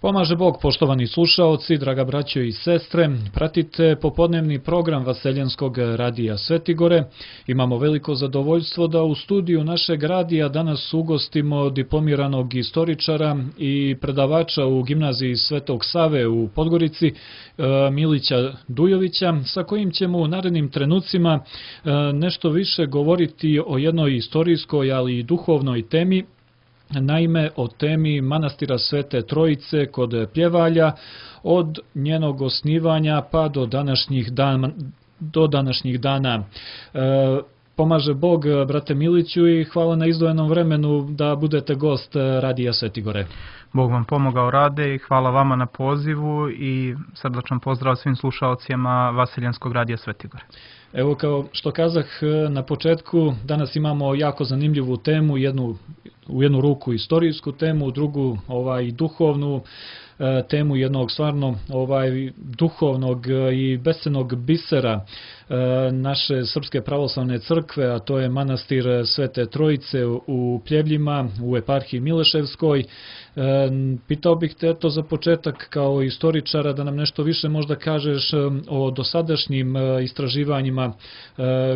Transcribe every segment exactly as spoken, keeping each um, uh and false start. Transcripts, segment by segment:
Pomaže Bog, poštovani slušaoci, draga braćo i sestre, pratite popodnevni program Vaseljenskog radija Svetigore. Imamo veliko zadovoljstvo da u studiju našeg radija danas ugostimo diplomiranog istoričara i predavača u gimnaziji Svetog Save u Podgorici, Milića Dujovića, sa kojim ćemo u narednim trenucima nešto više govoriti o jednoj istorijskoj, ali i duhovnoj temi. Naime, o temi manastira Svete Trojice kod Pljevalja, od njenog osnivanja pa do današnjih dana. Do današnjih dana. E, pomaže Bog, brate Miliću, i hvala na izdvojenom vremenu da budete gost radija Svetigore. Bog vam pomogao, Rade, i hvala vama na pozivu i srdačan pozdrav svim slušaocima Vaseljenskog radija Svetigore. Evo, kao što kazah na početku, danas imamo jako zanimljivu temu, jednu, u jednu ruku istorijsku temu, u drugu ovaj, duhovnu e, temu jednog stvarno ovaj, duhovnog i bescenog bisera e, naše Srpske pravoslavne crkve, a to je manastir Svete Trojice u Pljevljima, u eparhiji Mileševskoj. E, pitao bih te eto za početak kao istoričara da nam nešto više možda kažeš o dosadašnjim istraživanjima e,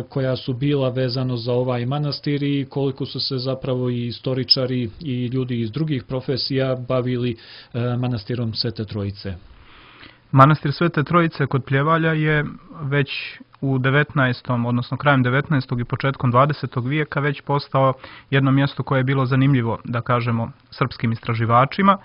koja su bila vezano za ovaj manastir i koliko su se zapravo i istoričari i ljudi iz drugih profesija bavili e, manastirom Svete Trojice. Manastir Svete Trojice kod Pljevalja je već u devetnaestom odnosno krajem devetnaestog i početkom dvadesetog vijeka već postao jedno mjesto koje je bilo zanimljivo, da kažemo, srpskim istraživačima,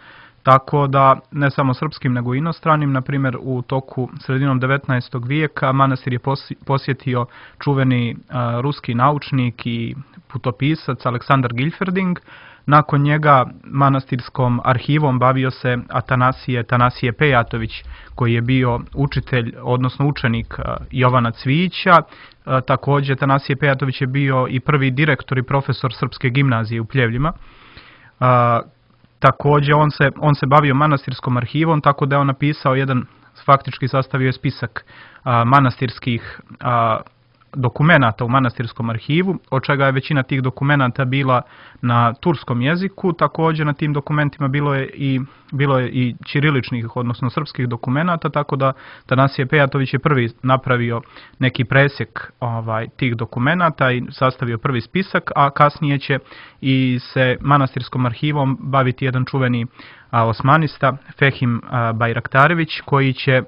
tako da ne samo srpskim nego i inostranim. Na primjer, u toku sredinom devetnaestog vijeka manastir je posjetio čuveni a, ruski naučnik i putopisac Aleksandar Gilferding. Nakon njega manastirskom arhivom bavio se Atanasije, Atanasije Pejatović, koji je bio učitelj, odnosno učenik Jovana Cvijića. Također, Atanasije Pejatović je bio i prvi direktor i profesor Srpske gimnazije u Pljevljima. Također, on se, on se bavio manastirskom arhivom, tako da je on napisao jedan, faktički sastavio je spisak manastirskih dokumenata u manastirskom arhivu, od čega je većina tih dokumenata bila na turskom jeziku. Također na tim dokumentima bilo je i, bilo je i ćiriličnih, odnosno srpskih dokumenata, tako da Atanasije Pejatović je prvi napravio neki presjek ovaj, tih dokumenata i sastavio prvi spisak, a kasnije će i se manastirskom arhivom baviti jedan čuveni a, osmanista, Fehim a, Bajraktarević, koji će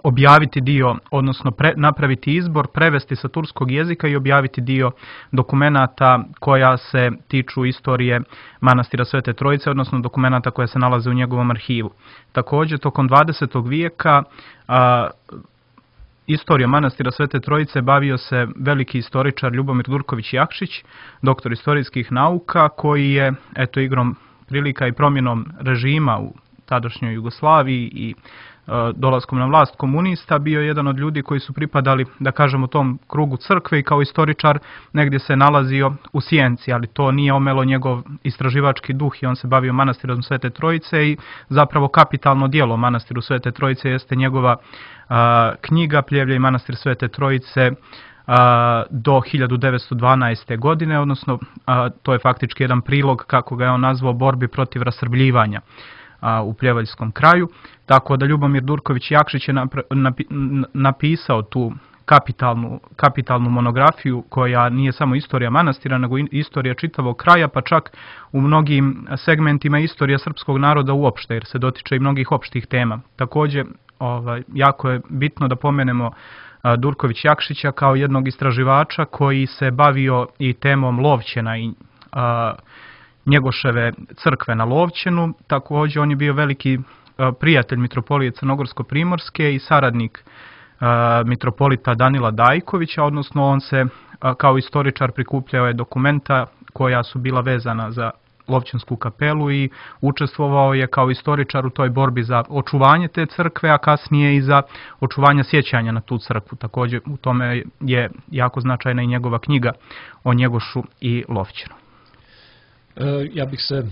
objaviti dio, odnosno pre, napraviti izbor, prevesti sa turskog jezika i objaviti dio dokumenata koja se tiču istorije manastira Svete Trojice, odnosno dokumenata koja se nalaze u njegovom arhivu. Također, tokom dvadesetog vijeka a, istorija manastira Svete Trojice bavio se veliki istoričar Ljubomir Durković Jakšić, doktor istorijskih nauka, koji je, eto, igrom prilika i promjenom režima u tadašnjoj Jugoslaviji i dolaskom na vlast komunista bio jedan od ljudi koji su pripadali, da kažemo, tom krugu crkve i kao istoričar negdje se nalazio u sjenci, ali to nije omelo njegov istraživački duh i on se bavio manastirom Svete Trojice i zapravo kapitalno djelo manastiru Svete Trojice jeste njegova a, knjiga Pljevlje i manastir Svete Trojice a, do hiljadu devetsto dvanaeste. godine, odnosno a, to je faktički jedan prilog, kako ga je on nazvao, borbi protiv rasrbljivanja u Pljevaljskom kraju, tako da Ljubomir Durković Jakšić je napisao tu kapitalnu, kapitalnu monografiju koja nije samo istorija manastira, nego i istorija čitavog kraja, pa čak u mnogim segmentima istorija srpskog naroda uopšte, jer se dotiče i mnogih opštih tema. Također, ovaj, jako je bitno da pomenemo Durković Jakšića kao jednog istraživača koji se bavio i temom Lovćena i a, Njegoševe crkve na Lovćenu. Također, on je bio veliki prijatelj mitropolije Crnogorsko-primorske i saradnik mitropolita Danila Dajkovića, odnosno on se kao istoričar prikupljao je dokumenta koja su bila vezana za Lovćensku kapelu i učestvovao je kao istoričar u toj borbi za očuvanje te crkve, a kasnije i za očuvanje sjećanja na tu crkvu. Također, u tome je jako značajna i njegova knjiga o Njegošu i Lovćenu. Ja bih se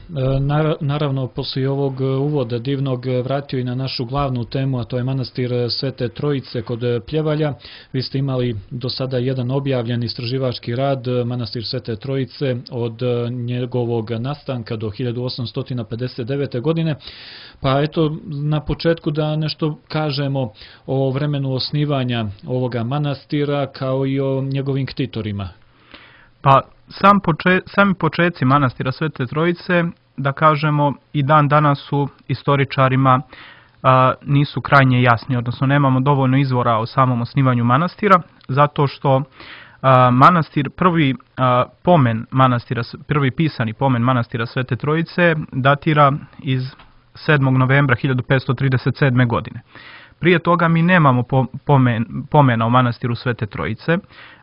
naravno poslije ovog uvoda divnog vratio i na našu glavnu temu, a to je manastir Svete Trojice kod Pljevalja. Vi ste imali do sada jedan objavljen istraživački rad, manastir Svete Trojice od njegovog nastanka do hiljadu osamsto pedeset devete. godine. Pa eto, na početku da nešto kažemo o vremenu osnivanja ovoga manastira kao i o njegovim ktitorima. Pa sam poče, sami početci manastira Svete Trojice, da kažemo, i dan danas su istoričarima a, nisu krajnje jasni, odnosno nemamo dovoljno izvora o samom osnivanju manastira, zato što a, manastir, prvi a, pomen manastira, prvi pisani pomen manastira Svete Trojice datira iz sedmog novembra hiljadu petsto trideset sedme. godine. Prije toga mi nemamo pomen, pomena o manastiru Svete Trojice,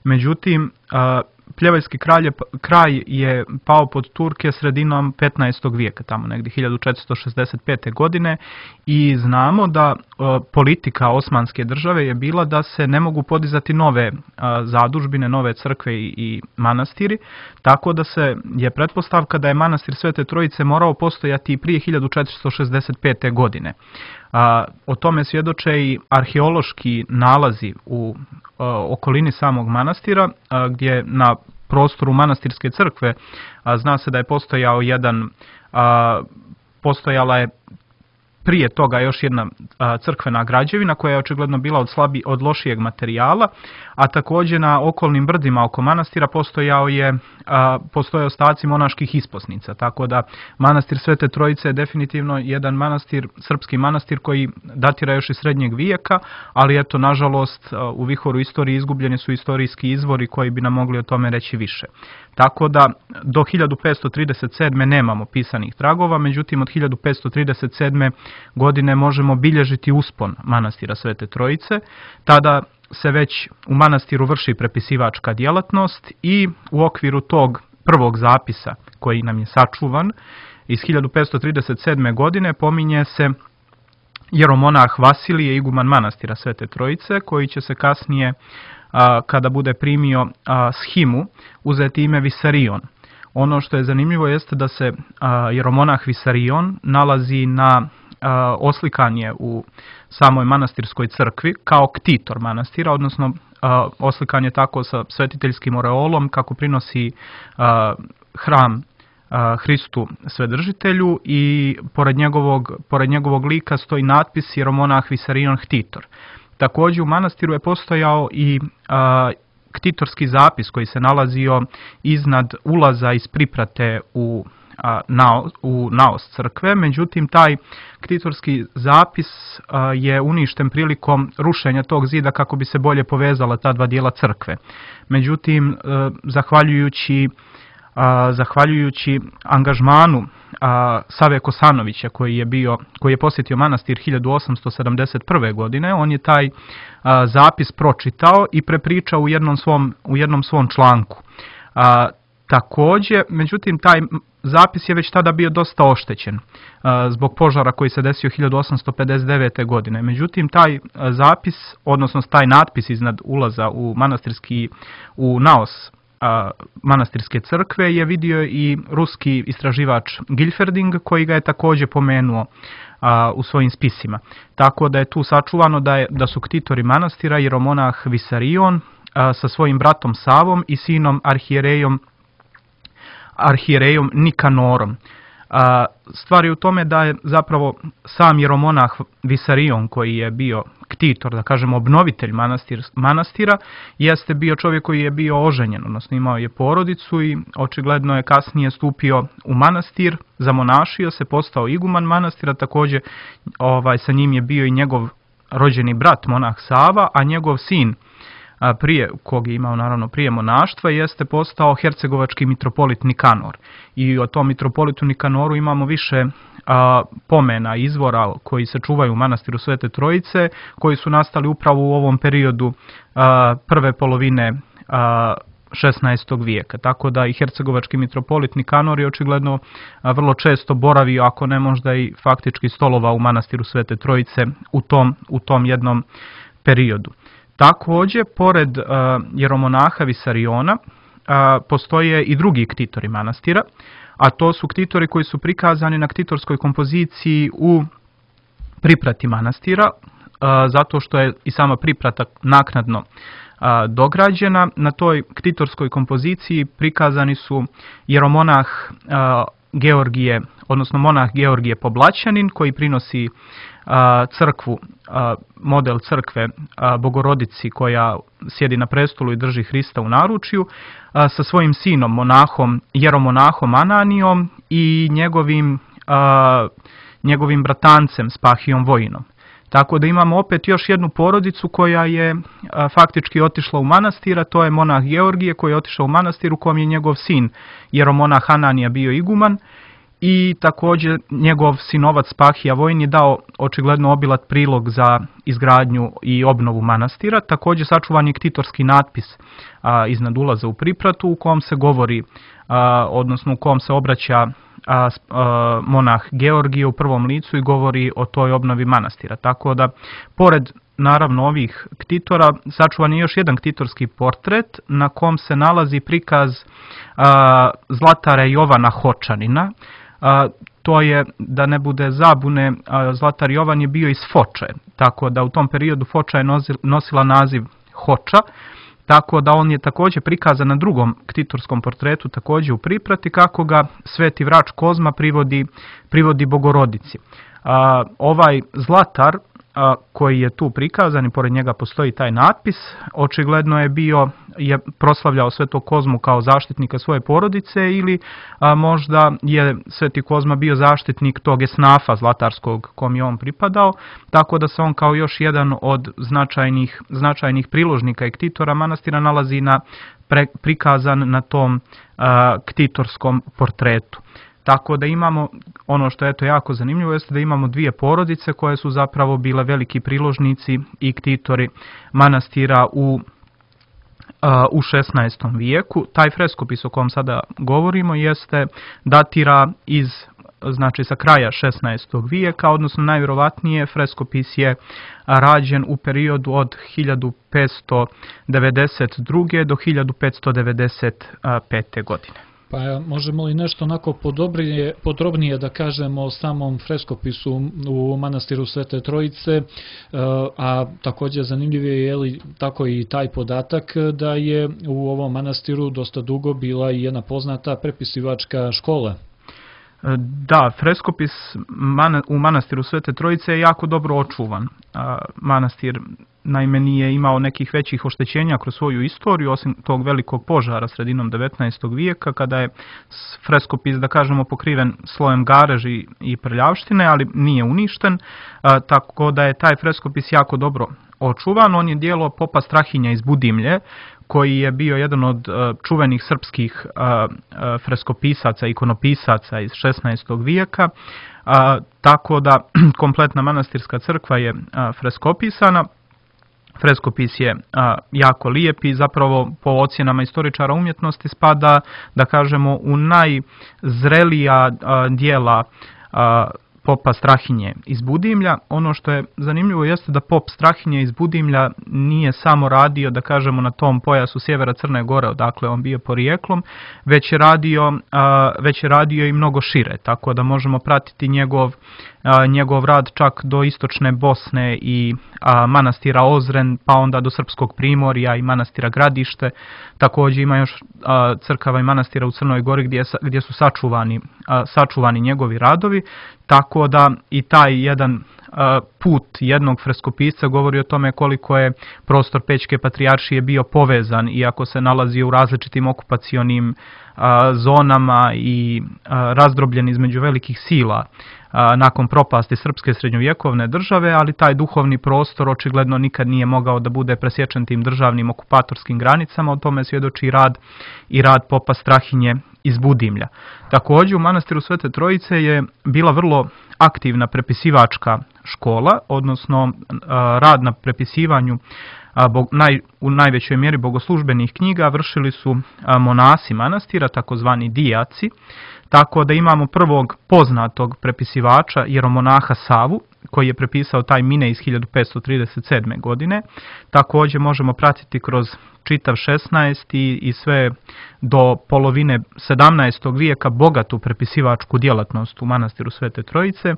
međutim, a, Pljevaljski kraj je, kraj je pao pod Turke sredinom petnaestog vijeka, tamo negdje hiljadu četiristo šezdeset pete. godine i znamo da o, politika Osmanske države je bila da se ne mogu podizati nove a, zadužbine, nove crkve i, i manastiri, tako da se je pretpostavka da je manastir Svete Trojice morao postojati i prije hiljadu četiristo šezdeset pete. godine. A, o tome svjedoče i arheološki nalazi u a, okolini samog manastira, a, gdje na prostoru manastirske crkve a, zna se da je postojao jedan, a, postojala je prije toga još jedna a, crkvena građevina koja je očigledno bila od, slabi, od lošijeg materijala, a također na okolnim brdima oko manastira postojao je, a, postoje ostaci monaških isposnica, tako da manastir Svete Trojice je definitivno jedan manastir, srpski manastir koji datira još iz srednjeg vijeka, ali eto, nažalost, u vihoru istorije izgubljeni su istorijski izvori koji bi nam mogli o tome reći više. Tako da do hiljadu petsto trideset sedme. nemamo pisanih tragova, međutim od hiljadu petsto trideset sedme. godine možemo bilježiti uspon manastira Svete Trojice. Tada se već u manastiru vrši prepisivačka djelatnost i u okviru tog prvog zapisa koji nam je sačuvan iz hiljadu petsto trideset sedme. godine pominje se jeromonah Vasilije, iguman manastira Svete Trojice, koji će se kasnije, a, kada bude primio a, shimu, uzeti ime Visarion. Ono što je zanimljivo jeste da se a, jeromonah Visarion nalazi na a, oslikanje u samoj manastirskoj crkvi kao ktitor manastira, odnosno a, oslikan je tako sa svetiteljskim oreolom kako prinosi a, hram a, Hristu Svedržitelju i pored njegovog, pored njegovog lika stoji natpis jeromonah Visarion Ktitor. Također u manastiru je postojao i a, ktitorski zapis koji se nalazio iznad ulaza iz priprate u, a, na, u naos crkve, međutim taj ktitorski zapis a, je uništen prilikom rušenja tog zida kako bi se bolje povezala ta dva dijela crkve. Međutim, a, zahvaljujući A, zahvaljujući angažmanu a, Save Kosanovića koji je bio, koji je posjetio manastir hiljadu osamsto sedamdeset prve. godine, on je taj a, zapis pročitao i prepričao u jednom svom, u jednom svom članku. A, također, međutim, taj zapis je već tada bio dosta oštećen a, zbog požara koji se desio hiljadu osamsto pedeset devete. godine. Međutim, taj a, zapis, odnosno taj natpis iznad ulaza u manastirski, u naos A, manastirske crkve je vidio i ruski istraživač Gilferding koji ga je također pomenuo a, u svojim spisima. Tako da je tu sačuvano da, je, da su ktitori manastira jeromonah Visarion a, sa svojim bratom Savom i sinom arhijerejom, arhijerejom Nikanorom. A, stvar je u tome da je zapravo sam jeromonah Visarion koji je bio ktitor, da kažemo obnovitelj manastir, manastira, jeste bio čovjek koji je bio oženjen, odnosno imao je porodicu i očigledno je kasnije stupio u manastir, zamonašio se, postao iguman manastira, također ovaj, sa njim je bio i njegov rođeni brat monah Sava, a njegov sin, a prije, kog je imao naravno prije monaštva, jeste postao hercegovački mitropolit Nikanor. I o tom mitropolitu Nikanoru imamo više a, pomena, izvora koji se čuvaju u manastiru Svete Trojice, koji su nastali upravo u ovom periodu a, prve polovine a, šesnaestog vijeka. Tako da i hercegovački mitropolit Nikanor je očigledno a, vrlo često boravio, ako ne možda i faktički stolovao u manastiru Svete Trojice u tom, u tom jednom periodu. Također, pored uh, jeromonaha Visariona, uh, postoje i drugi ktitori manastira, a to su ktitori koji su prikazani na ktitorskoj kompoziciji u priprati manastira, zato što je i sama priprata naknadno dograđena. Na toj ktitorskoj kompoziciji prikazani su jeromonah Georgije, odnosno monah Georgije Poblaćanin, koji prinosi crkvu, model crkve Bogorodici koja sjedi na prestolu i drži Hrista u naručju, sa svojim sinom, monahom, jeromonahom Ananijom i njegovim, njegovim bratancem Spahijom Vojinom. Tako da imamo opet još jednu porodicu koja je a, faktički otišla u manastir, a to je monah Georgije koji je otišao u manastir u kom je njegov sin jeromonah Ananija bio iguman, i također njegov sinovac Spahija Vojin je dao očigledno obilat prilog za izgradnju i obnovu manastira. Također sačuvan je ktitorski natpis a, iznad ulaza u pripratu u kom se govori, a, odnosno u kom se obraća A, a, monah Georgije u prvom licu i govori o toj obnovi manastira. Tako da, pored naravno ovih ktitora, sačuvan je još jedan ktitorski portret na kom se nalazi prikaz a, Zlatara Jovana Hočanina. A, to je, da ne bude zabune, a, Zlatar Jovan je bio iz Foče, tako da u tom periodu Foča je nosila naziv Hoča. Tako da on je također prikazan na drugom ktitorskom portretu, također u priprati, kako ga sveti vrač Kozma privodi, privodi Bogorodici. A, ovaj Zlatar a, koji je tu prikazan i pored njega postoji taj natpis, očigledno je bio, je proslavljao svetog Kozmu kao zaštitnika svoje porodice, ili a, možda je sveti Kozma bio zaštitnik tog esnafa zlatarskog kom je on pripadao, tako da se on kao još jedan od značajnih, značajnih priložnika i ktitora manastira nalazi na, pre, prikazan na tom a, ktitorskom portretu. Tako da imamo, ono što je to jako zanimljivo, jeste da imamo dvije porodice koje su zapravo bile veliki priložnici i ktitori manastira u, u šesnaestom vijeku. Taj freskopis o kom sada govorimo jeste datira iz, znači sa kraja šesnaestog vijeka, odnosno najvjerovatnije freskopis je rađen u periodu od hiljadu petsto devedeset druge do hiljadu petsto devedeset pete godine. Pa možemo li nešto onako podrobnije, podrobnije da kažemo o samom freskopisu u manastiru Svete Trojice, a također zanimljiv je, je li tako i taj podatak da je u ovom manastiru dosta dugo bila i jedna poznata prepisivačka škola. Da, freskopis u manastiru Svete Trojice je jako dobro očuvan. Manastir naime nije imao nekih većih oštećenja kroz svoju istoriju, osim tog velikog požara sredinom devetnaestog vijeka, kada je freskopis, da kažemo, pokriven slojem gareži i prljavštine, ali nije uništen, tako da je taj freskopis jako dobro očuvan. On je djelo popa Strahinja iz Budimlje, koji je bio jedan od uh, čuvenih srpskih uh, uh, freskopisaca, ikonopisaca iz šesnaestog vijeka, uh, tako da kompletna manastirska crkva je uh, freskopisana. Freskopis je a, jako lijep i zapravo po ocjenama istoričara umjetnosti spada, da kažemo, u najzrelija a, dijela a, popa Strahinje iz Budimlja. Ono što je zanimljivo jeste da pop Strahinje iz Budimlja nije samo radio, da kažemo, na tom pojasu sjevera Crne Gore, odakle on bio porijeklom, već je radio, a, već je radio i mnogo šire, tako da možemo pratiti njegov A, njegov rad čak do istočne Bosne i a, manastira Ozren, pa onda do Srpskog Primorja i manastira Gradište. Također ima još a, crkava i manastira u Crnoj Gori gdje, gdje su sačuvani, a, sačuvani njegovi radovi, tako da i taj jedan a, put jednog freskopisca govori o tome koliko je prostor Pećke patrijaršije bio povezan, iako se nalazi u različitim okupacionim a, zonama i a, razdrobljen između velikih sila nakon propasti srpske srednjovjekovne države, ali taj duhovni prostor očigledno nikad nije mogao da bude presječen tim državnim okupatorskim granicama. O tome svjedoči i rad, i rad popa Strahinje iz Budimlja. Također u manastiru Svete Trojice je bila vrlo aktivna prepisivačka škola, odnosno rad na prepisivanju a, bo, naj, u najvećoj mjeri bogoslužbenih knjiga vršili su a, monasi manastira, takozvani dijaci, tako da imamo prvog poznatog prepisivača jeromonaha Savu, koji je prepisao taj Mine iz hiljadu petsto trideset sedme. godine. Također možemo pratiti kroz čitav šesnaesti i sve do polovine sedamnaestog vijeka bogatu prepisivačku djelatnost u manastiru Svete Trojice.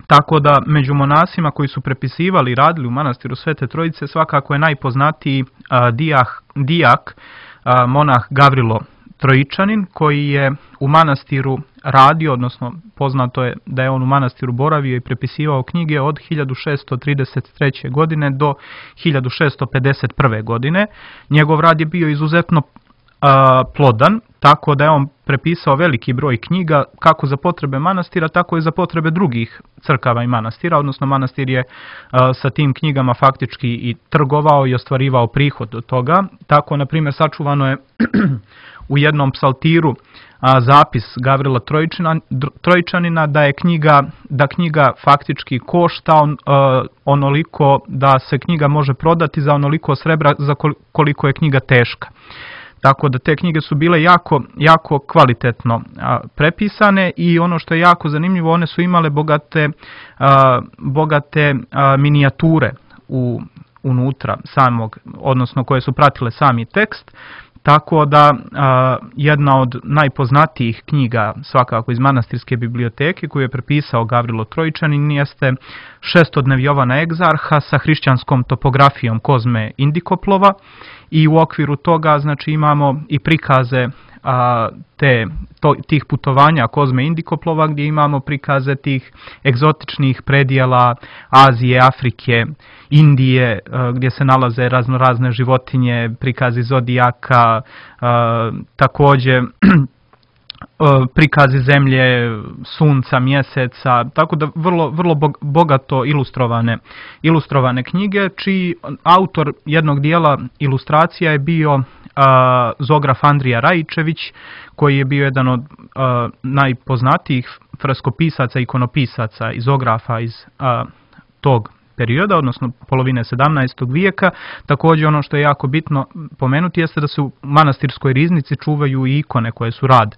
Tako da među monasima koji su prepisivali i radili u manastiru Svete Trojice svakako je najpoznatiji a, dijah, dijak, a, monah Gavrilo Trojičanin, koji je u manastiru radio, odnosno poznato je da je on u manastiru boravio i prepisivao knjige od hiljadu šessto trideset treće. godine do hiljadu šessto pedeset prve. godine. Njegov rad je bio izuzetno a, plodan, tako da je on prepisao veliki broj knjiga kako za potrebe manastira, tako i za potrebe drugih crkava i manastira, odnosno manastir je a, sa tim knjigama faktički i trgovao i ostvarivao prihod od toga. Tako, na primjer, sačuvano je u jednom psaltiru a, zapis Gavrila Trojčana, Trojčanina da je knjiga, da knjiga faktički košta on, a, onoliko da se knjiga može prodati za onoliko srebra za koliko je knjiga teška. Tako da te knjige su bile jako, jako kvalitetno a, prepisane i ono što je jako zanimljivo, one su imale bogate, a, bogate a, minijature u, unutra samog, odnosno koje su pratile sami tekst. Tako da a, jedna od najpoznatijih knjiga svakako iz manastirske biblioteke koju je prepisao Gavrilo Trojičanin jeste Šestodnev Jovana Egzarha sa hrišćanskom topografijom Kozme Indikoplova i u okviru toga znači imamo i prikaze a, te, to, tih putovanja Kozme Indikoplova gdje imamo prikaze tih egzotičnih predjela Azije, Afrike, Indije, a, gdje se nalaze razno razne životinje, prikazi zodijaka, a, također prikazi zemlje, sunca, mjeseca, tako da vrlo, vrlo bogato ilustrovane, ilustrovane knjige, čiji autor jednog dijela ilustracija je bio a, zograf Andrija Rajičević, koji je bio jedan od a, najpoznatijih freskopisaca, ikonopisaca i zografa iz a, tog perioda, odnosno polovine sedamnaestog. vijeka. Također ono što je jako bitno pomenuti jeste da se u manastirskoj riznici čuvaju i ikone koje su rad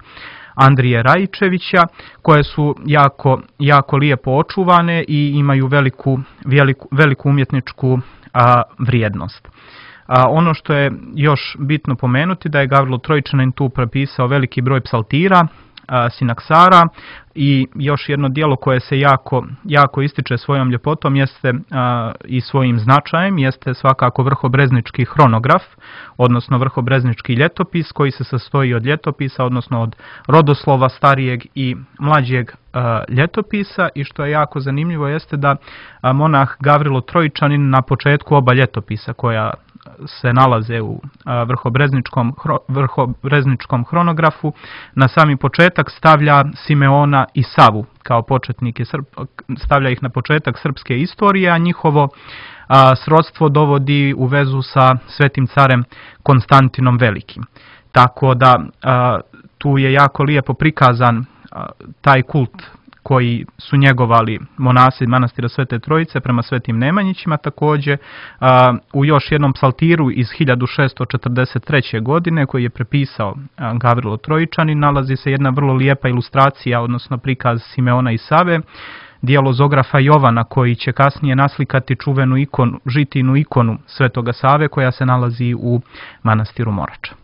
Andrije Rajičevića, koje su jako, jako lijepo očuvane i imaju veliku, veliku, veliku umjetničku a, vrijednost. A, ono što je još bitno pomenuti da je Gavrilo Trojičanin tu prepisao veliki broj psaltira, a, sinaksara i još jedno djelo koje se jako, jako ističe svojom ljepotom jeste a, i svojim značajem jeste svakako Vrhobreznički hronograf, odnosno Vrhobreznički ljetopis koji se sastoji od ljetopisa, odnosno od rodoslova starijeg i mlađeg a, ljetopisa i što je jako zanimljivo jeste da a, monah Gavrilo Trojičanin na početku oba ljetopisa koja se nalaze u vrhobrezničkom, vrhobrezničkom hronografu, na sami početak stavlja Simeona i Savu kao početnike, stavlja ih na početak srpske istorije, a njihovo a, srodstvo dovodi u vezu sa svetim carem Konstantinom Velikim. Tako da a, tu je jako lijepo prikazan a, taj kult koji su njegovali monasi manastira Svete Trojice prema svetim Nemanjićima. Također a, u još jednom psaltiru iz hiljadu šessto četrdeset treće. godine koji je prepisao a, Gavrilo Trojičanin nalazi se jedna vrlo lijepa ilustracija, odnosno prikaz Simeona i Save, djelo zografa Jovana koji će kasnije naslikati čuvenu ikonu, žitinu ikonu Svetoga Save koja se nalazi u manastiru Morača.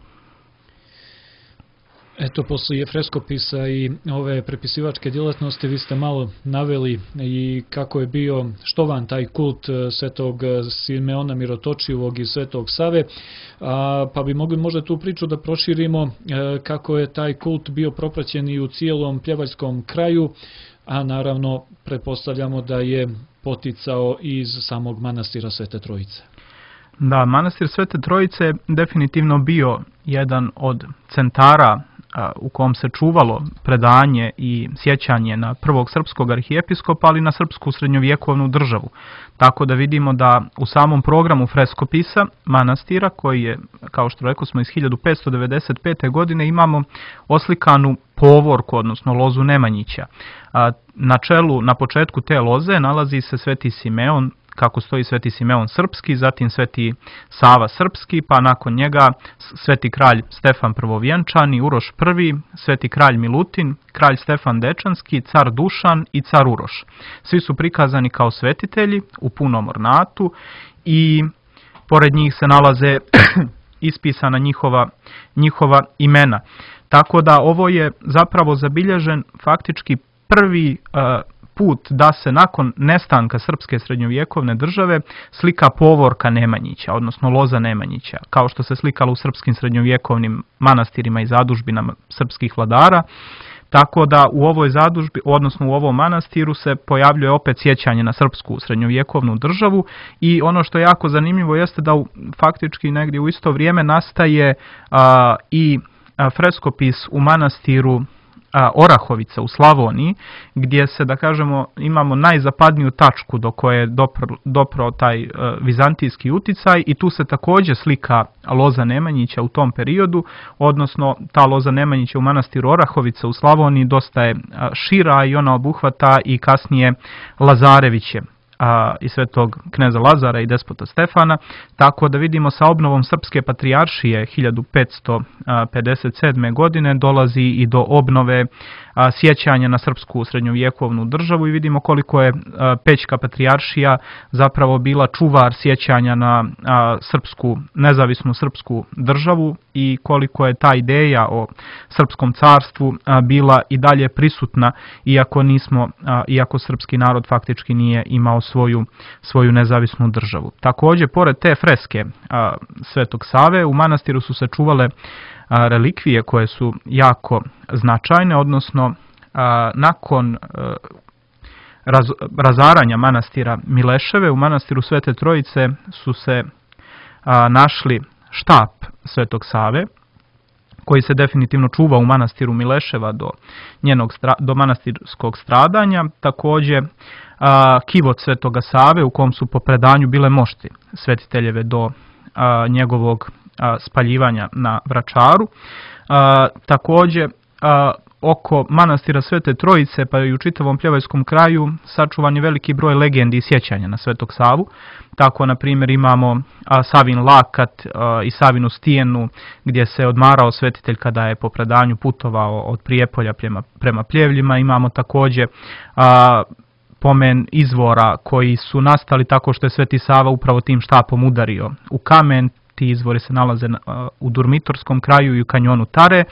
Eto, poslije freskopisa i ove prepisivačke djelatnosti vi ste malo naveli i kako je bio štovan taj kult svetog Simeona Mirotočivog i svetog Save, a, pa bi mogli možda tu priču da proširimo e, kako je taj kult bio propraćen i u cijelom pljevaljskom kraju, a naravno pretpostavljamo da je poticao iz samog manastira Svete Trojice. Da, manastir Svete Trojice je definitivno bio jedan od centara u kom se čuvalo predanje i sjećanje na prvog srpskog arhijepiskopa, ali na srpsku srednjovjekovnu državu. Tako da vidimo da u samom programu freskopisa manastira, koji je, kao što rekao smo, iz hiljadu petsto devedeset pete. godine, imamo oslikanu povorku, odnosno lozu Nemanjića. Na čelu, na početku te loze nalazi se sveti Simeon kako stoji Sveti Simeon Srpski, zatim Sveti Sava Srpski, pa nakon njega Sveti kralj Stefan Prvovjenčani, Uroš prvi, Sveti kralj Milutin, kralj Stefan Dečanski, car Dušan i car Uroš. Svi su prikazani kao svetitelji u punom ornatu i pored njih se nalaze ispisana njihova, njihova imena. Tako da ovo je zapravo zabilježen faktički prvi uh, put da se nakon nestanka srpske srednjovjekovne države slika povorka Nemanjića, odnosno loza Nemanjića, kao što se slikalo u srpskim srednjovjekovnim manastirima i zadužbinama srpskih vladara. Tako da u ovoj zadužbi, odnosno u ovom manastiru se pojavljuje opet sjećanje na srpsku srednjovjekovnu državu i ono što je jako zanimljivo jeste da u, faktički negdje u isto vrijeme nastaje a, i a, freskopis u manastiru Orahovica u Slavoniji, gdje se, da kažemo, imamo najzapadniju tačku do koje je dopro, dopro taj uh, vizantijski uticaj i tu se također slika loza Nemanjića u tom periodu, odnosno ta loza Nemanjića u manastiru Orahovica u Slavoniji dosta je uh, šira i ona obuhvata i kasnije Lazareviće a, i svetog kneza Lazara i despota Stefana, tako da vidimo sa obnovom srpske patrijaršije hiljadu petsto pedeset sedme. godine dolazi i do obnove a, sjećanja na srpsku srednjovjekovnu državu i vidimo koliko je a, Pećka patrijaršija zapravo bila čuvar sjećanja na a, srpsku, nezavisnu srpsku državu i koliko je ta ideja o srpskom carstvu a, bila i dalje prisutna, iako nismo, a, iako srpski narod faktički nije imao svoju, svoju nezavisnu državu. Također, pored te freske a, Svetog Save, u manastiru su se čuvale a, relikvije koje su jako značajne, odnosno a, nakon a, raz, razaranja manastira Mileševe, u manastiru Svete Trojice su se a, našli štap Svetog Save, koji se definitivno čuva u manastiru Mileševa do, njenog, do manastirskog stradanja. Također, a, kivot Svetoga Save u kom su po predanju bile mošti svetiteljeve do a, njegovog a, spaljivanja na Vračaru. A, također, a, oko manastira Svete Trojice pa i u čitavom Pljevajskom kraju sačuvan je veliki broj legendi i sjećanja na Svetog Savu. Tako, na primjer, imamo a, Savin lakat a, i Savinu stijenu gdje se odmarao svetitelj kada je po predanju putovao od Prijepolja prema, prema Pljevljima. Imamo također a, pomen izvora koji su nastali tako što je Sveti Sava upravo tim štapom udario u kamen. Ti izvori se nalaze na, a, u Durmitorskom kraju i u kanjonu Tare.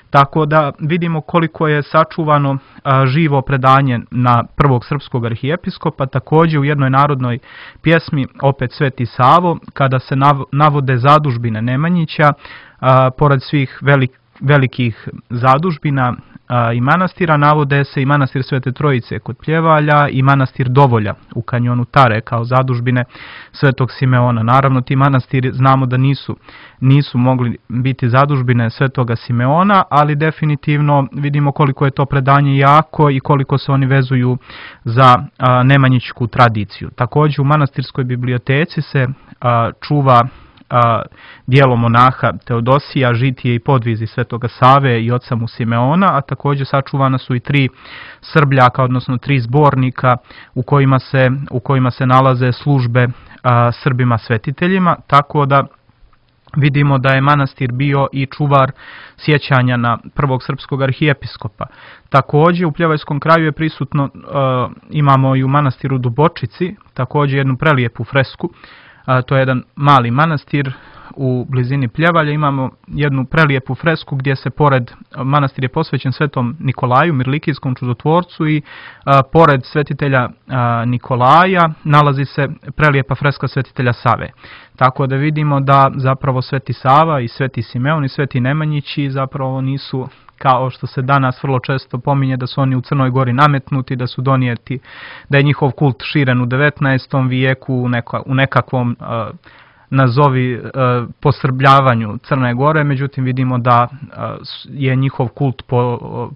Tako da vidimo koliko je sačuvano a, živo predanje na prvog srpskog arhijepiskopa. Također u jednoj narodnoj pjesmi, opet Sveti Savo, kada se nav, navode zadužbine Nemanjića, a, pored svih velik, velikih zadužbina a, i manastira, navode se i manastir Svete Trojice kod Pljevalja i manastir Dovolja u kanjonu Tare kao zadužbine Svetog Simeona. Naravno, ti manastiri znamo da nisu, nisu mogli biti zadužbine Svetoga Simeona, ali definitivno vidimo koliko je to predanje jako i koliko se oni vezuju za a, nemanjićku tradiciju. Također u manastirskoj biblioteci se a, čuva a, dijelo monaha Teodosija, žitije i podvizi Svetoga Save i oca mu Simeona, a također sačuvana su i tri srbljaka, odnosno tri zbornika u kojima se, u kojima se nalaze službe a, Srbima svetiteljima, tako da vidimo da je manastir bio i čuvar sjećanja na prvog srpskog arhijepiskopa. Također u Pljevajskom kraju je prisutno, uh, imamo i u manastiru Dubočici, također jednu prelijepu fresku. Uh, to je jedan mali manastir u blizini Pljevalja. Imamo jednu prelijepu fresku gdje se pored, manastir je posvećen Svetom Nikolaju, Mirlikijskom čudotvorcu, i uh, pored svetitelja uh, Nikolaja nalazi se prelijepa freska svetitelja Save. Tako da vidimo da zapravo Sveti Sava i Sveti Simeon i Sveti Nemanjići zapravo nisu, kao što se danas vrlo često pominje, da su oni u Crnoj Gori nametnuti, da su donijeti, da je njihov kult širen u devetnaestom vijeku u, neka, u nekakvom uh, nazovi uh, posrbljavanju Crne Gore, međutim vidimo da uh, je njihov kult po, uh,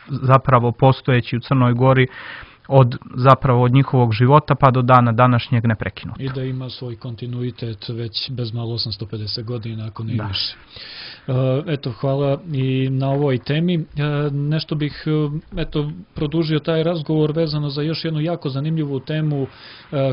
zapravo postojeći u Crnoj Gori od zapravo od njihovog života pa do dana današnjeg neprekinut. I da ima svoj kontinuitet već bez malo osamsto pedeset godina, ako ne više. Eto, hvala i na ovoj temi. Nešto bih eto, produžio taj razgovor vezano za još jednu jako zanimljivu temu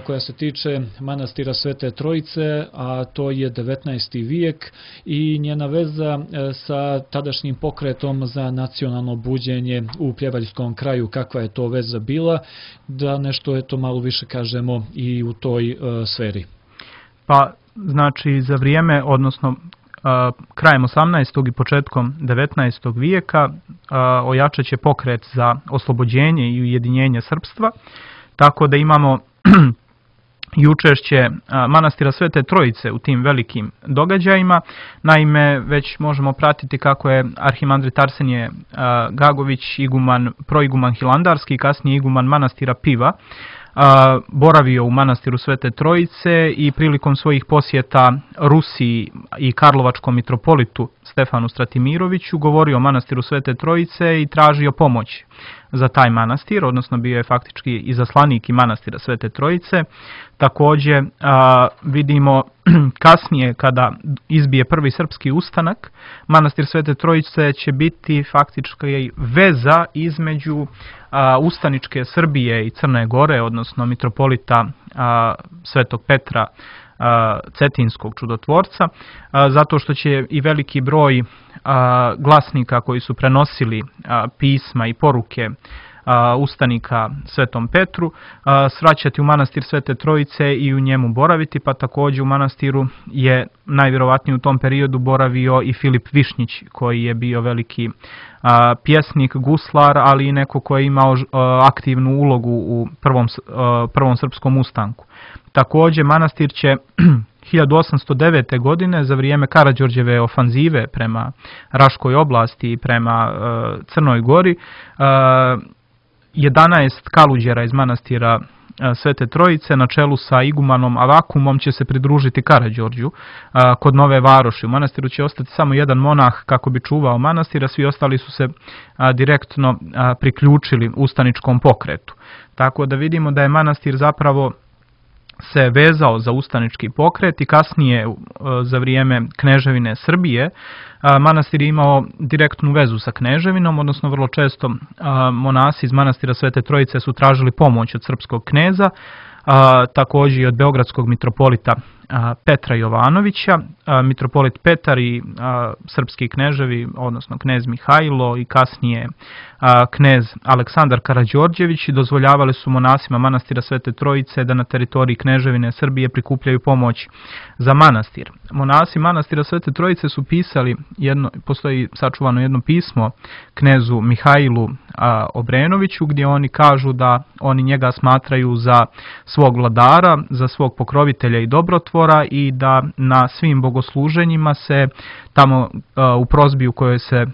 koja se tiče manastira Svete Trojice, a to je devetnaesti vijek i njena veza sa tadašnjim pokretom za nacionalno buđenje u Pljevaljskom kraju. Kakva je to veza bila? Da nešto eto malo više kažemo i u toj sferi. Pa, znači, za vrijeme, odnosno krajem osamnaestog i početkom devetnaestog vijeka ojačat će pokret za oslobođenje i ujedinjenje srpstva, tako da imamo i učešće manastira Svete Trojice u tim velikim događajima. Naime, već možemo pratiti kako je arhimandrit Arsenije Gagović, iguman, proiguman Hilandarski, kasnije iguman manastira Piva, boravio u manastiru Svete Trojice i prilikom svojih posjeta Rusiji i karlovačkom mitropolitu Stefanu Stratimiroviću govorio o manastiru Svete Trojice i tražio pomoć za taj manastir, odnosno bio je faktički izaslanik i manastira Svete Trojice. Također vidimo kasnije kada izbije prvi srpski ustanak, manastir Svete Trojice će biti faktički veza između ustaničke Srbije i Crne Gore, odnosno mitropolita Svetog Petra Cetinskog čudotvorca, zato što će i veliki broj glasnika koji su prenosili pisma i poruke ustanika Svetom Petru svraćati u manastir Svete Trojice i u njemu boraviti, pa također u manastiru je najvjerovatnije u tom periodu boravio i Filip Višnjić, koji je bio veliki pjesnik, guslar, ali i neko koji je imao aktivnu ulogu u prvom, prvom srpskom ustanku. Također manastir će hiljadu osamsto devete. godine za vrijeme Karađorđeve ofanzive prema Raškoj oblasti i prema uh, Crnoj Gori uh, jedanaest kaluđera iz manastira uh, Svete Trojice na čelu sa igumanom Avakumom će se pridružiti Karađorđu uh, kod Nove Varoši. U manastiru će ostati samo jedan monah kako bi čuvao manastir, a svi ostali su se uh, direktno uh, priključili ustaničkom pokretu. Tako da vidimo da je manastir zapravo se vezao za ustanički pokret i kasnije za vrijeme Kneževine Srbije manastir je imao direktnu vezu sa kneževinom, odnosno vrlo često monasi iz manastira Svete Trojice su tražili pomoć od srpskog kneza, također i od beogradskog mitropolita Petra Jovanovića. Mitropolit Petar i srpski kneževi, odnosno knez Mihajlo i kasnije knez Aleksandar Karađorđević dozvoljavali su monasima manastira Svete Trojice da na teritoriji Kneževine Srbije prikupljaju pomoć za manastir. Monasi manastira Svete Trojice su pisali, jedno, postoji sačuvano jedno pismo knezu Mihajlu Obrenoviću gdje oni kažu da oni njega smatraju za svog vladara, za svog pokrovitelja i dobrotvora i da na svim bogosluženjima se tamo u prosbi u kojoj se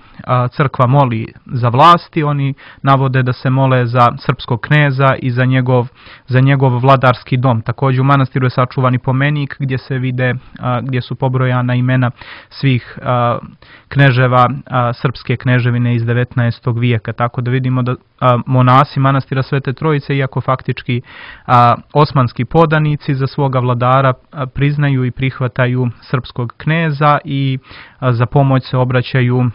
crkva moli za vlasti, oni navode da se mole za srpskog kneza i za njegov, za njegov vladarski dom. Također u manastiru je sačuvani pomenik gdje se vide, gdje su pobrojana imena svih kneževa srpske kneževine iz devetnaestog vijeka. Tako da vidimo da monasi manastira Svete Trojice, iako faktički osmanski podanici, za svoga vladara priznaju i prihvataju srpskog kneza i za pomoć se obraćaju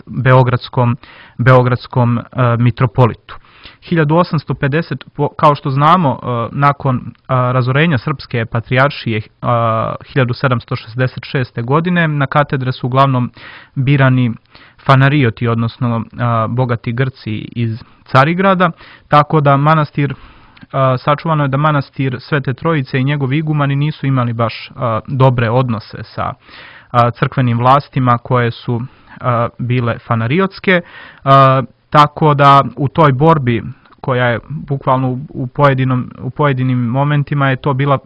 beogradskom, beogradskom mitropolitu. hiljadu osamsto pedesete. Kao što znamo, nakon razorenja Srpske patrijaršije hiljadu sedamsto šezdeset šeste. godine na katedre su uglavnom birani fanarioti, odnosno bogati Grci iz Carigrada, tako da manastir, sačuvano je da manastir Svete Trojice i njegovi igumani nisu imali baš dobre odnose sa crkvenim vlastima koje su bile fanariotske, tako da u toj borbi koja je bukvalno u, pojedinom, u pojedinim momentima je to bila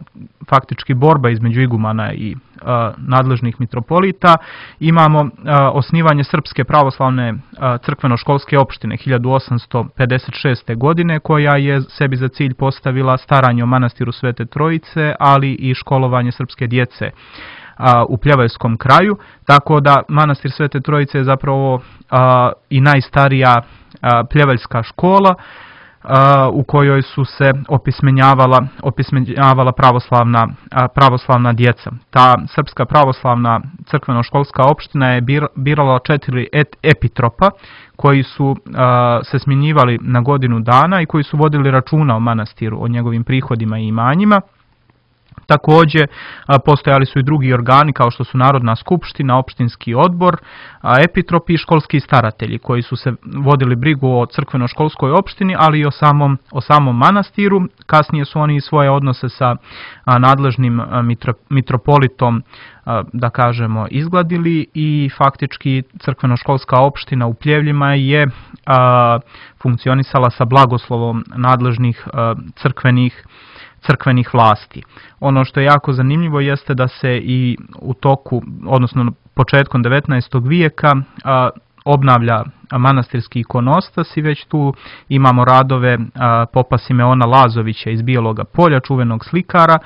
faktički borba između igumana i a, nadležnih mitropolita. Imamo a, osnivanje Srpske pravoslavne a, crkveno-školske opštine hiljadu osamsto pedeset šeste. godine koja je sebi za cilj postavila staranje o manastiru Svete Trojice, ali i školovanje srpske djece a, u Pljevaljskom kraju, tako da manastir Svete Trojice je zapravo a, i najstarija a, pljevaljska škola. u kojoj su se opismenjavala, opismenjavala pravoslavna, pravoslavna djeca. Ta Srpska pravoslavna crkveno-školska opština je birala četiri epitropa koji su se smjenjivali na godinu dana i koji su vodili računa o manastiru, o njegovim prihodima i imanjima. Također postojali su i drugi organi kao što su Narodna skupština, opštinski odbor, epitropi i školski staratelji koji su se vodili brigu o crkveno-školskoj opštini, ali i o samom, o samom manastiru. Kasnije su oni svoje odnose sa nadležnim mitropolitom, da kažemo, izgladili i faktički crkveno-školska opština u Pljevljima je funkcionisala sa blagoslovom nadležnih crkvenih crkvenih vlasti. Ono što je jako zanimljivo jeste da se i u toku, odnosno početkom devetnaestog vijeka a, obnavlja manastirski ikonostas i već tu imamo radove a, popa Simeona Lazovića iz Bijeloga Polja, čuvenog slikara,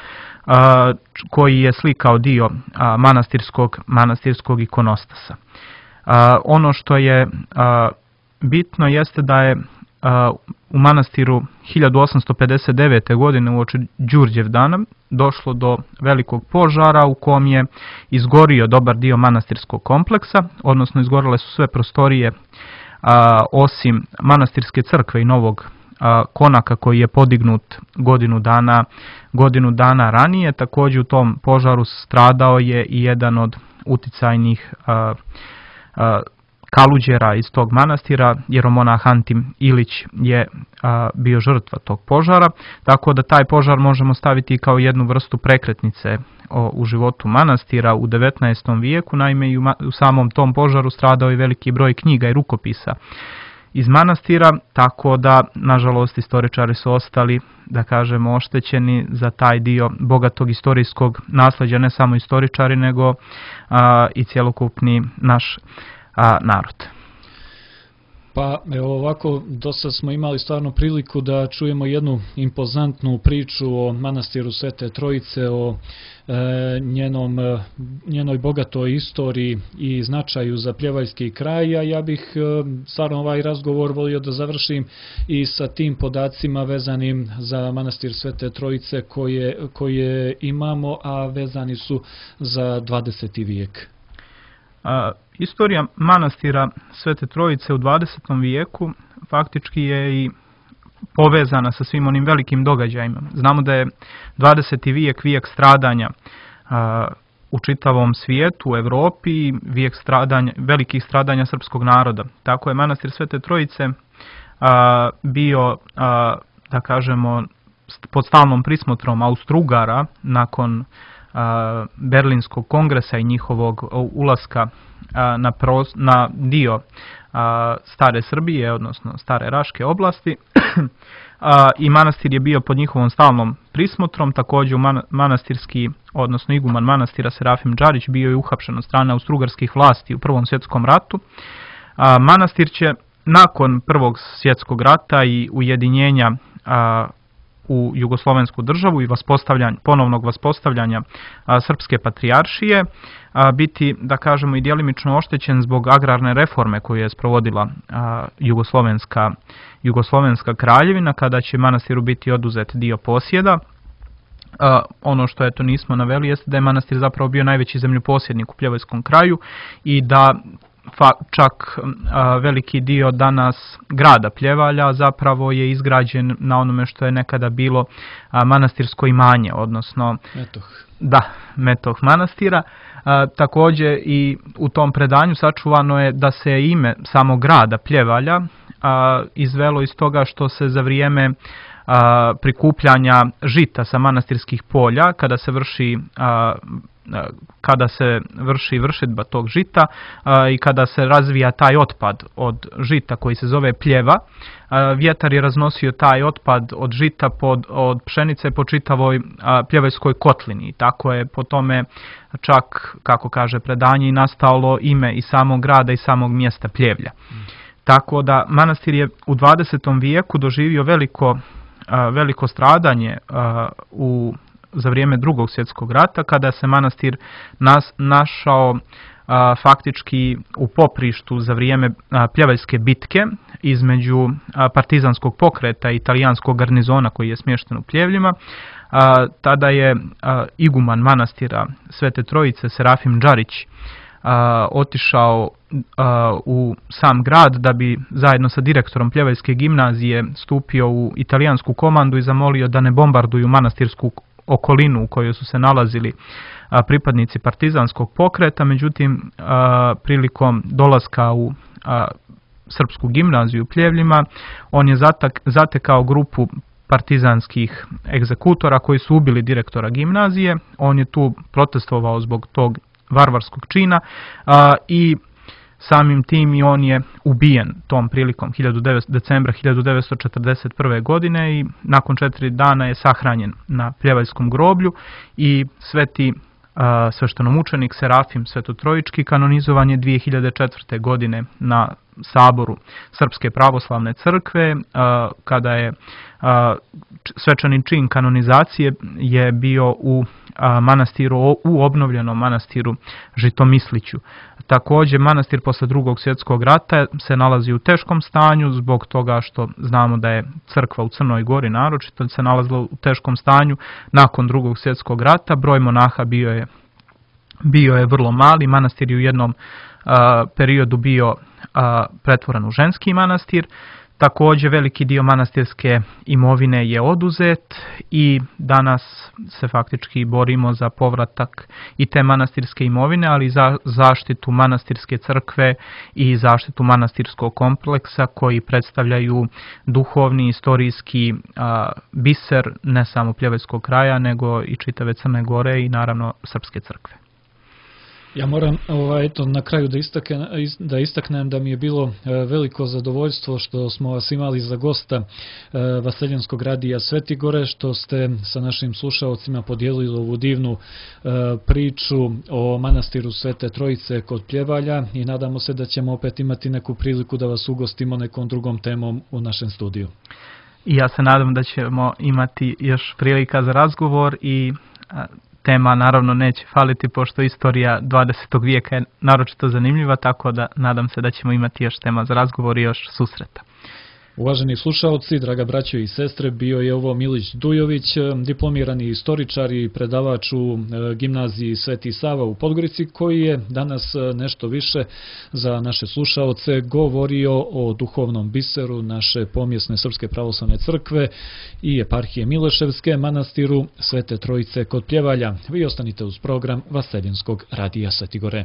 a, koji je slikao dio a, manastirskog, manastirskog ikonostasa. A, ono što je a, bitno jeste da je a, u manastiru hiljadu osamsto pedeset devete. godine uoči Đurđevdana došlo do velikog požara u kom je izgorio dobar dio manastirskog kompleksa, odnosno izgorele su sve prostorije a, osim manastirske crkve i novog a, konaka koji je podignut godinu dana, godinu dana ranije. Također u tom požaru stradao je i jedan od uticajnih a, a, kaluđera iz tog manastira, jeromonah Antim Ilić je a, bio žrtva tog požara, tako da taj požar možemo staviti kao jednu vrstu prekretnice o, u životu manastira u devetnaestom vijeku. Naime, i u, u samom tom požaru stradao je veliki broj knjiga i rukopisa iz manastira, tako da, nažalost, istoričari su ostali, da kažemo, oštećeni za taj dio bogatog istorijskog nasljeđa, ne samo istoričari, nego a, i cjelokupni naš a, narod. Pa evo ovako, do sad smo imali stvarno priliku da čujemo jednu impozantnu priču o manastiru Svete Trojice, o e, njenom, e, njenoj bogatoj istoriji i značaju za pljevaljski kraj, a ja bih e, stvarno ovaj razgovor volio da završim i sa tim podacima vezanim za manastir Svete Trojice koje, koje imamo, a vezani su za dvadeseti vijek. A, istorija manastira Svete Trojice u dvadesetom vijeku faktički je i povezana sa svim onim velikim događajima. Znamo da je dvadeseti vijek vijek stradanja a, u čitavom svijetu, u Europi, vijek stradanja, velikih stradanja srpskog naroda. Tako je manastir Svete Trojice a, bio, a, da kažemo, pod stalnom prismotrom Austro-Ugara nakon Berlinskog kongresa i njihovog ulaska na, pros, na dio stare Srbije, odnosno stare Raške oblasti. I manastir je bio pod njihovom stalnom prismotrom. Također manastirski, odnosno iguman manastira Serafim Džarić bio je uhapšen od strane austrougarskih vlasti u Prvom svjetskom ratu. Manastir će nakon Prvog svjetskog rata i ujedinjenja u jugoslovensku državu i vaspostavljanja, ponovnog vaspostavljanja a, srpske patrijaršije a, biti, da kažemo, i djelimično oštećen zbog agrarne reforme koju je sprovodila a, jugoslovenska, jugoslovenska kraljevina, kada će manastiru biti oduzet dio posjeda. A, ono što eto nismo naveli jeste da je manastir zapravo bio najveći zemljoposjednik u Pljevojskom kraju i da Fa, čak a, veliki dio danas grada Pljevalja zapravo je izgrađen na onome što je nekada bilo a, manastirsko imanje, odnosno Metoh. Da, Metoh manastira. A, također i u tom predanju sačuvano je da se ime samog grada Pljevalja a, izvelo iz toga što se za vrijeme a, prikupljanja žita sa manastirskih polja, kada se vrši a, kada se vrši vršidba tog žita a, i kada se razvija taj otpad od žita koji se zove pljeva, a, vjetar je raznosio taj otpad od žita pod, od pšenice po čitavoj a, pljevajskoj kotlini. Tako je po tome čak, kako kaže predanje, i nastalo ime i samog grada i samog mjesta Pljevlja. Mm. Tako da manastir je u dvadesetom vijeku doživio veliko, a, veliko stradanje a, u za vrijeme Drugog svjetskog rata, kada se manastir nas, našao a, faktički u poprištu za vrijeme a, Pljevaljske bitke između a, partizanskog pokreta i italijanskog garnizona koji je smješten u Pljevljima. A, tada je a, iguman manastira Svete Trojice Serafim Đarić a, otišao a, u sam grad da bi zajedno sa direktorom Pljevaljske gimnazije stupio u italijansku komandu i zamolio da ne bombarduju manastirsku okolinu u kojoj su se nalazili a, pripadnici partizanskog pokreta. Međutim, a, prilikom dolaska u a, srpsku gimnaziju u Pljevljima, on je zatak, zatekao grupu partizanskih egzekutora koji su ubili direktora gimnazije. On je tu protestovao zbog tog varvarskog čina a, i samim tim i on je ubijen tom prilikom decembra hiljadu devetsto četrdeset prve. godine i nakon četiri dana je sahranjen na Pljevaljskom groblju i sveti a, sveštenomučenik Serafim Svetotrojički kanonizovan je dvije hiljade četvrte. godine na saboru Srpske pravoslavne crkve, a, kada je a, svečani čin kanonizacije je bio u a, manastiru, u obnovljenom manastiru Žitomisliću. Također, manastir posle drugog svjetskog rata se nalazi u teškom stanju zbog toga što znamo da je crkva u Crnoj Gori naročito se nalazila u teškom stanju nakon drugog svjetskog rata. Broj monaha bio je, bio je vrlo mali. Manastir je u jednom a, periodu bio a, pretvoren u ženski manastir. Također, veliki dio manastirske imovine je oduzet i danas se faktički borimo za povratak i te manastirske imovine, ali i za zaštitu manastirske crkve i zaštitu manastirskog kompleksa koji predstavljaju duhovni, istorijski a, biser ne samo Pljevaljskog kraja, nego i čitave Crne Gore i naravno Srpske crkve. Ja moram ovaj, eto, na kraju da, istakne, da istaknem da mi je bilo e, veliko zadovoljstvo što smo vas imali za gosta e, Vaseljenskog radija Svetigore, što ste sa našim slušalcima podijelili ovu divnu e, priču o manastiru Svete Trojice kod Pljevalja i nadamo se da ćemo opet imati neku priliku da vas ugostimo nekom drugom temom u našem studiju. I ja se nadam da ćemo imati još prilika za razgovor i a, tema naravno neće faliti pošto istorija dvadesetog vijeka je naročito zanimljiva, tako da nadam se da ćemo imati još tema za razgovor i još susreta. Uvaženi slušalci, draga braćo i sestre, bio je ovo Milić Dujović, diplomirani istoričar i predavač u gimnaziji Sveti Sava u Podgorici, koji je danas nešto više za naše slušalce govorio o duhovnom biseru naše pomjesne Srpske pravoslavne crkve i eparhije Mileševske, manastiru Svete Trojice kod Pljevalja. Vi ostanite uz program Vaseljenskog radija Svetigore.